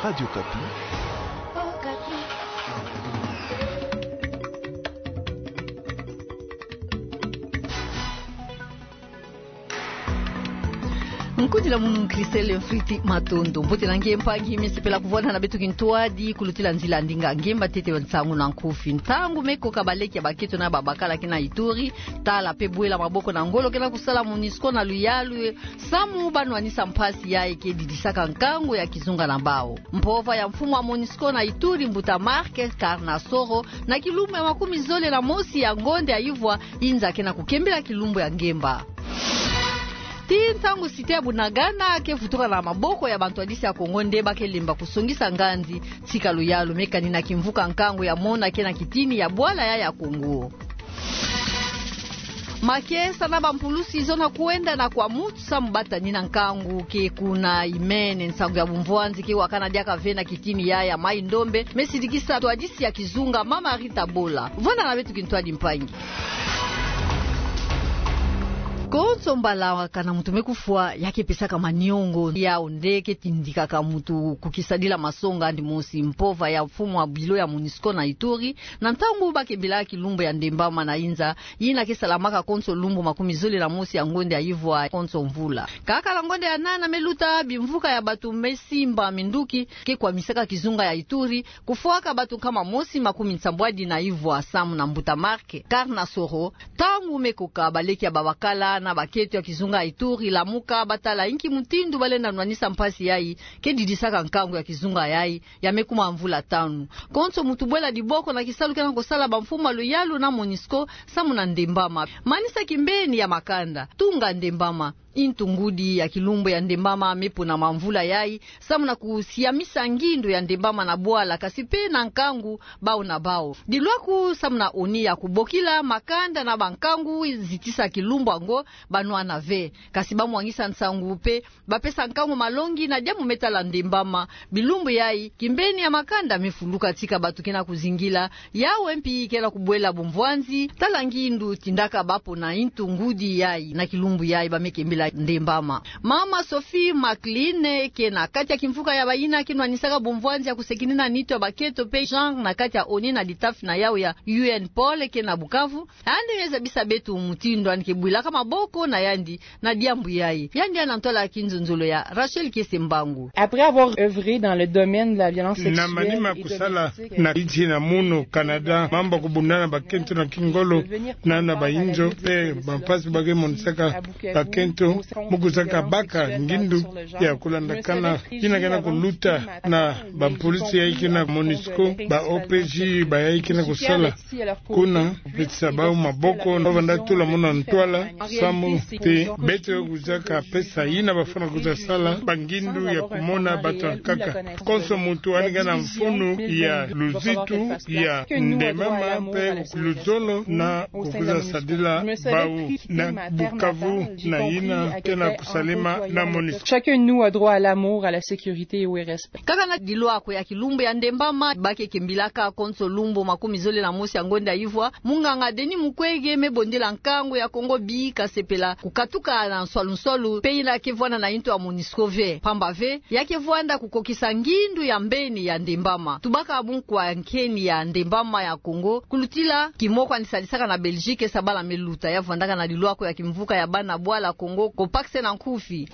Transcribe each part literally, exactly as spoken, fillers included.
Radio Okapi. Nkudila munu Christelle Mfriti Matondo. Mbote na nge mpangi, me sepela kuvwanda na beto kintwadi, kulutila nzila ndinga ngemba ntete wa nsangu na nkufi. Ntangu me koka baleki ya bakento na babakala kena Ituri, tala pe bwela maboko na ngolo kena kusala MONUSCO na luyalu, samu ba nwanisa mpasi yayi ke didisaka nkangu ya kizunga na bawu. Mpova ya mfumu wa MONUSCO na Ituri, Mbuta Marc Karnasoro, na kilumbu ya makumi zole na mosi ya ngonde ya ivwa, inza kena kukembela kilumbu ya ngemba. Tii ntangu site ya Bunagana ke vutuka na maboko ya bantwadisi ya Kongo nde ba ke lemba kusongisa nganzi, tika luyalu me kanina kimvuka nkangu ya mona kena kitini ya bwala ya, ya Kongo. Makesa na bampulusi zona kwenda na kwa mutu samu ba tanina nkangu ke kuna imene. Nsangu ya bumvwanzi ke wakana diaka ve na kitini ya, ya Mai-Ndombe, me sidikisa ntwadisi ya kizunga Mama Rita Bola. Vwanda na beto kintwadi mpangi. Konso mbalakana mutu me kufwa, ya ke pesaka maniongo. Yawu nde ke tindikaka mutu kukisadila masonga andi mosi. Mpova ya mfumu wa bilo ya MONUSCO na Ituri, na ntangu ba kembela kilumbu ya Ndembama na inza, yina ke salamaka konso lumbu makumi zole na mosi ya ngonde ya ivwa konso mvula. Kaka na ngonde ya nana me luta, bimvuka ya batu me simba minduki ke kwamisaka kizunga ya Ituri, kufwaka batu nkama mosi makumi nsambwadi na ivwa samu na Mbuta Marc Karnasoro. Ntangu me koka baleki ya babakala na bakento ya kizunga ya Ituri, lamuka ba tala inki mutindu ba lenda nwanisa mpasi yayi ke didisaka nkangu ya kizunga yayi, ya me kuma mvula tanu. Konso mutu bwela diboko na kisalu kena kusala bamfumu ya luyalu na MONUSCO samu na Ndembama. Manisa kimbeni ya makanda, tunga Ndembama. Intu ngudi ya kilumbu ya Ndembama me pona mamvula yayi, samu na kusiamisa ngindu ya Ndembama na bwala, kasi pe na nkangu bawu na bawu. Dilwaku samu na ONU ya kubokila makanda na bankangu zitisa kilumbu yango, ba nwana ve. Kasi ba mwangisa nsangu pe ba pesa nkangu malongi na diambu me tala Ndembama. Bilumbu yayi, kimbeni ya makanda me fuluka tika batu kena kuzingila, yawu mpi kena kubwela bumvwanzi, tala ngindu tindaka ba pona intu ngudi yayi na kilumbu yayi ba me kembela Ndembama. Mama Sophie McLean, ke na kati ya kimvuka ya bayina ke nwanisaka bumvwanzi ya kusekinina nitu ya bakento pe genre na kati ya ONU na litafi na yawu ya U N Pôle ke na Bukavu, yandi me zabisa beto mutindu yandi ke bwilaka maboko na yandi na diambu yayi. Yandi ya na ntwala ya kinzonzolo ya Rachel Kiese Mbangu. Après avoir œuvré dans le domaine de la violence sexuelle et domestique, na manima kusala na nsi na munu Canada, mambu ya kubundana bakento na kingolo na, na bayinzo, pe bampasi ba ke monisaka bakento, mu kuzaka baka ngindu ya kulandakana yina kena kuluta na bampulusi yayi kena MONUSCO, ba O P J, bayayi kena kusala kuna, pesa bawu maboko, na banda tula muna ntwala, samu ti beto kuzaka pesa yina bafwana kuza sala, bangindu ya kumona batu ankaka. Konso mutu yandi kena mfunu ya luzitu ya Ndembama pe luzolo na kukuza sadila bawu na Bukavu na yina kena kusalema na MONUSCO. Chacun de nous a droit à l'amour, à la sécurité et au respect. Kaka na dilwako ya kilumbu ya Ndembama, ba ke kembilaka konso lumbu makumi zole na mosi ya ngonda ya ivwa, munganga Denis Mukwege me bondela nkangu ya Kongo bika sepela kukatuka na nswalu-nswalu, pe yina ke vwanda na intu ya MONUSCO ve. Pamba ve, ya ke vwanda kukokisa ngindu ya mbeni ya Ndembama. Tubaka bunkwa nkeni ya Ndembama ya Kongo, kulutila kimoko yandi sadisaka na Belgique, sa bala me luta. Ya vwandaka na dilwako ya kimvuka ya bana bwala Kongo, COPACS na nkufi.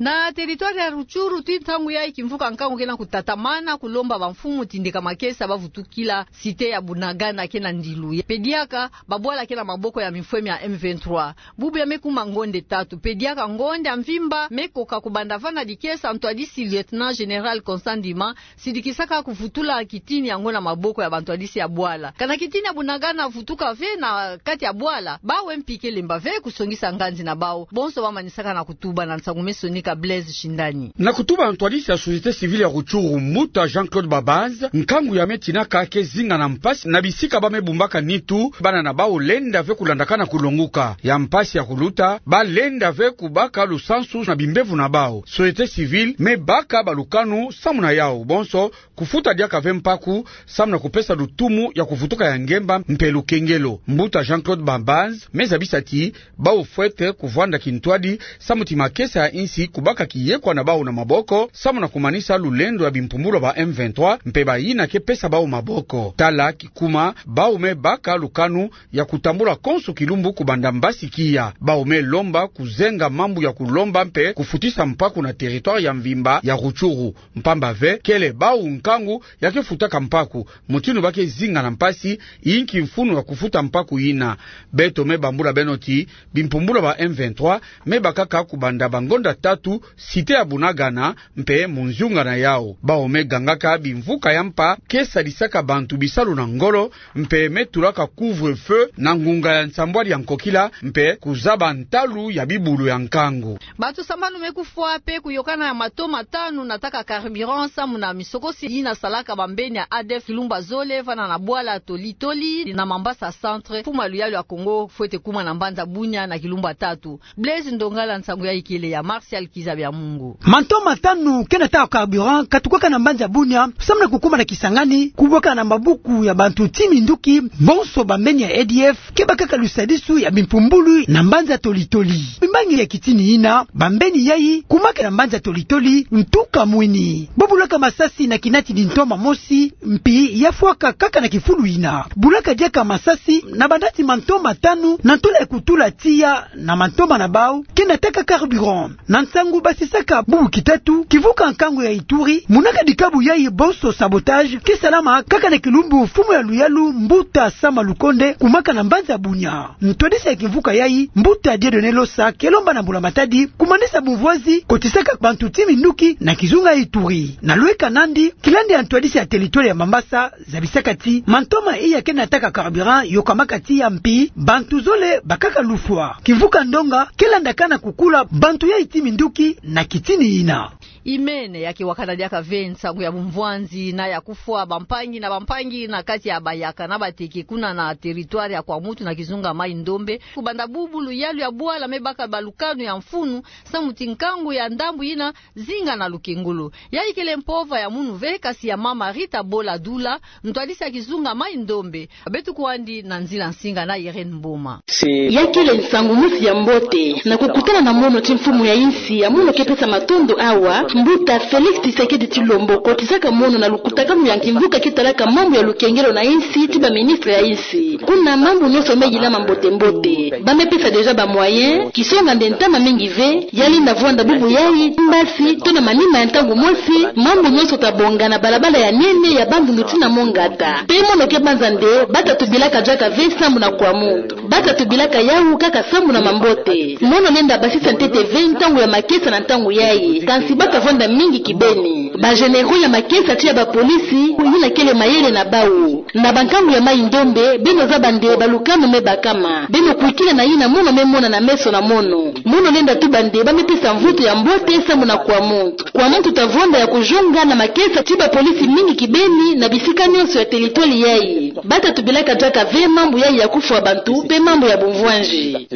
Na territoire ya Rutshuru, ti ntangu yayi kimvuka nkangu kena kutatamana, kulomba bamfumu tindika makesa ba vutukila cité ya Bunagana kena ndilu. Pe diaka, babwala kena maboko ya mifweme ya M vingt-trois. Bubu ya me kuma ngonde tatu. Pe diaka ngonde ya mvimba me koka kubanda vanda dikesa, ntwadisi lieutenant général Constant Ndima, sidikisaka kuvutula kitini yango na maboko ya bantwadisi ya bwala. Kana kitini ya Bunagana vutuka ve na kati ya bwala, bawu mpi ke lemba ve kusongisa nganzi na bawu. Bonso ba manisaka na kutuba na nsangu me sonika Blaise Shindani. Na kutuba na ntwadisi ya société civile ya Rutshuru, mbuta Jean-Claude Babanz, nkangu ya me tinaka ke zinga na mpasi na bisika ba me bumbaka nitu, bana na bawu lenda ve kulandakana kulonguka. Ya mpasi ya kuluta, ba lenda ve kubaka lusansu na bimbevo na bawu. Société civile me baka balukanu samu na yawu. Bonso, kufuta diaka ve mpaku, samu na kupesa lutumu ya kuvutuka ya ngemba mpe lukengelo. Mbuta Jean-Claude Babanz me zabisa ti bawu fwete kuvwanda kintwadi, samu ti makesa ya insi kubaka kiyekwa na bawu na maboko, samu na kumanisa lulendo ya bimpumbulu ya ba M vingt-trois, mpe bayina ke pesa bawu maboko. Tala kikuma, bawu me baka lukanu ya kutambula konso kilumbu kubanda mbasi kiya. Bawu me lomba kuzenga mambu ya kulomba mpe kufutisa mpaku na territoire ya mvimba ya Rutshuru. Mpamba ve, kele bawu nkangu ya ke futaka mpaku, mutindu ba ke zinga na mpasi, inki mfunu ya kufuta mpaku yina. Beto me bambula beno ti, bimpumbulu ya ba M vingt-trois me bakaka kubanda bangonda tatu, cité ya Bunagana, mpe munziunga na yawu. Bawu me gangaka bimvuka ya mpa ke sadisaka bantu bisalu na ngolo, mpe me tulaka couvre-feu na ngunga ya nsambwadi ya nkokila, mpe kuzaba ntalu ya bibulu ya nkangu. Bato sambanu me kufwa mpe kuyokana ya matoma tanu na taka carburant samu na misokosi yina salaka bambeni ya ADF kilumbu ya zole vanda na bwala Toli Toli na Mambasa Centre, mfumu ya luyalu ya Kongo fwete kuma na mbanza Bunia na kilumbu ya tatu. Blaise Ndongala, nsangu yayi kele ya Martial Kiza Bya Mungu. Mantoma tanu ke na taka carburant katukwaka na mbanza Bunia, samu na kukuma na Kisangani, kubwaka na mabuku ya bantu ti minduki, bonso bambeni ya ADF, ke bakaka lusadisu ya bimpumbulu na mbanza Toli Toli. Bimbangi ya kitini yina, bambeni yayi kumaka na mbanza Toli Toli ntuka mwini. Bo bulaka masasi na kinatidi ntoma mosi, mpi ya fwaka kaka na kifulu yina. Bulaka diaka masasi na banati mantoma tanu na ntula ya kutula tiya na mantoma na bawu ke na taka carburant. Na nsangu basisaka bubu kitatu, kivuka nkangu ya Ituri, munaka dikabu yayi bonso sabotage ke salama kaka na kilumbu mfumu ya luyalu Mbuta Sama Lukonde kumaka na mbanza Bunia. Ntwadisi ya kimvuka yayi, Mbuta Dieudonné Losa, ke lomba na mbula matadi kumanisa bumvwazi kotisaka bantu ti minduki na kizunga Ituri. Na lweka nandi, kilandi ya ntwadisi ya territoire ya Mambasa zabisaka ti mantoma iya ke na taka carburant yokamaka tiya, mpi bantu zole bakaka lufwa. Kimvuka ndonga ke landakana kukula bantu yayi ti minduki na kitini yina. Imene ya ke wakana diaka ve nsangu ya bumvwanzi na ya kufwa bampangi na bampangi na kati ya bayaka na bateke kuna na territoire ya Kwamouth na kizunga Mai-Ndombe. Kubanda bubu luyalu ya bwala me baka balukanu ya mfunu, samu ti nkangu ya ndambu yina zinga na lukengolo. Yayi kele mpova ya munu ve, kasi ya mama Rita Bola Dula, ntwadisi ya kizunga Mai-Ndombe. Beto kwandi na nzila nsinga na Irène Mboma. Ya kele nsangu mosi ya mbote na kukutana na mono ti mfumu ya insi ya mono ke pesa matondo awa, Mbuta Félix Tshisekedi Tshilombo, kotisaka mono na lukutakanu ya kimvuka ke talaka mambu ya lukengelo na insi ti baministre ya insi. Kuna mambu nyonso me yilama mbote mbote. Ba me pesa déjà ba moyens, kisonga nde ntama mingi ve, ya lenda vwanda bubu yayi, mbasi, to na manima ya ntangu mosi, mambu nyonso ta bonga na balabala ya nene ya Bandundu tii na Mongata. Mpe mono ke banza nde, ba ta tubilaka diaka ve sambu na Kwamouth. Ba ta tubilaka yawu kaka sambu na mambote. Mono lenda basisa ntete ve ntangu ya makesa na ntangu yayi, kansi ba ta vwanda mingi kibeni. Ba généraux ya makesa tii ya bapolisi, yina kele mayele na bawu. Na bankangu ya Mai-Ndombe, beno zaba nde balukanu me bakama. Beno kwikila na yina mono me mona na meso na mono. Mono lenda tuba nde ba me pesa mvutu ya mbote sambu na Kwamouth. Kwamouth ta vwanda ya kujonga na makesa ti bapolisi mingi kibeni na bisika nyonso ya territoire yayi. Ba ta tubilaka diaka ve mambu yayi ya kufwa bantu mpe mambu ya bumvwanzi.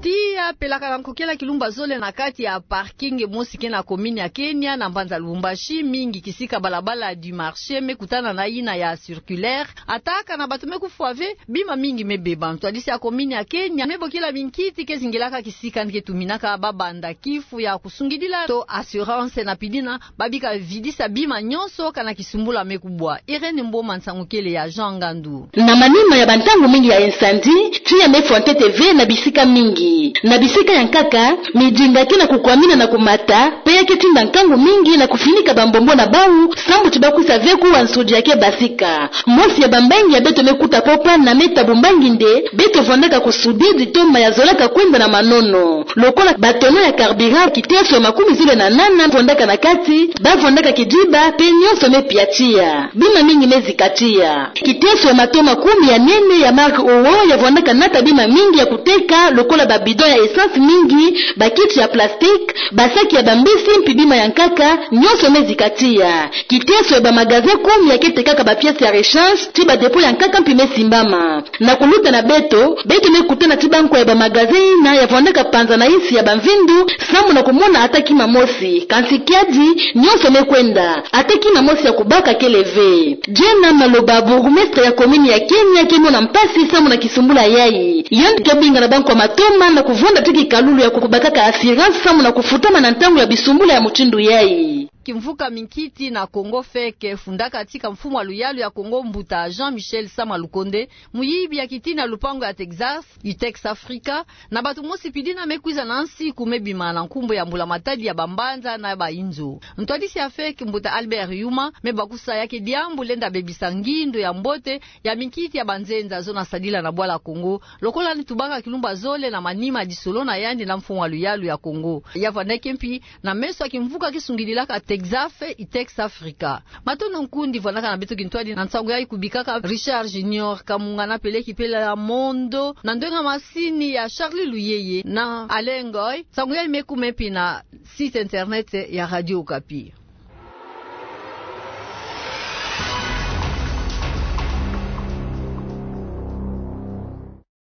Tiya pelaka na nkokila kilumbu ya zole na kati ya parking mosi ke na commune ya Kenya na mbanza Lubumbashi, mingi kisika balabala du marché, me kutana na yina ya circulaire. Ataka na bato me kufwa ve, bima mingi me beba. Ntwadisi ya commune ya Kenya me bokila minkiti ke zingilaka kisika ni ke tuminaka ba banda kifu ya kusungidila to assurance na pidina ba bika vidisa bima nyonso kana kisumbula me kubwa. Irène Mboma, nsangu kele ya Jean Ngandu. Na manima ya bantangu mingi ya incendie, tiya me fwa ntete ve na bisika mingi. Na bisika ya nkaka, midinga ke na kukwamina na kumata, mpe ya ke tinda nkangu mingi na kufinika bambombo na bawu, sambu ti ba kwisa ve kuwa nsudi ya ke basika. Mosi ya bambangi ya beto me kuta popa na me tabu mbangi nde, beto vwandaka kusudidi to ma ya zolaka kwenda na manono. Lokola ba tonneau ya carburant, kiteso ya makumi zole na nana vwandaka na kati, ba vwandaka kidiba, mpe nyonso me pia tiya. Bima mingi me zika tiya. Kiteso ya matoma kumi ya nene ya marque Owo ya vwandaka nata bima mingi ya kuteka, lokola ba bidon ya essence mingi, ba kiti ya plastique, ba saki ya bambisi, mpi bima ya nkaka, nyonso me zika tiya. Kiteso ya ba magasin kumi ya ke tekaka ba pièces ya rechange, ti ba dépôt ya nkaka mpi me simbama. Na kuluta na beto, beto me kutana ti bankwa ya ba magasin yina ya vwandaka panza na insi ya bamvindu, sambu na kumona ata kima mosi, kansi kiadi, nyonso me kwenda. Ata kima mosi ya kubaka kele ve. Jane Maloba, bourgmestre ya commune ya Kenya, ke mona mpasi sambu na kisumbula yayi. Yandi ke bingana bankwa matoma na kuvwenda ti kikalulu ya kubakaka assurance samu na kufutama na ntangu ya bisumbula ya mutindu yayi. Kimvuka minkiti na Kongo feke fundaka tika mfumu wa luyalu ya Kongo mbuta Jean Michel Sama Lukonde, muyibi ya kitina lupangu ya Texas, Itex Africa, na bato mosi pidina me kwiza na nsiku me bima na nkumbu ya mbula matadi ya bambanza na bainzo. Ntwadisi ya feke mbuta Albert Yuma me bakusa ya ke diambu lenda bebisa ngindo ya mbote ya minkiti ya banzenza zona sadila na bwala Kongo, lokola ni tubaka kilumbu ya zole na manima ya disolo na yandi na mfumu wa luyalu ya Kongo. Ya vwandeke mpi na meso ya kimvuka kisungidilaka Texafe, Itex Africa. Matondo nkundi vwandaka na beto kintwadi na nsangu yayi kubikaka Richard Junior Kamunga na Peleki Pela Mondo, na ndwenga masini ya Charlie Luyeye na Alain Ngoy. Nsangu yayi me kuma mpi na site internet ya Radio Okapi.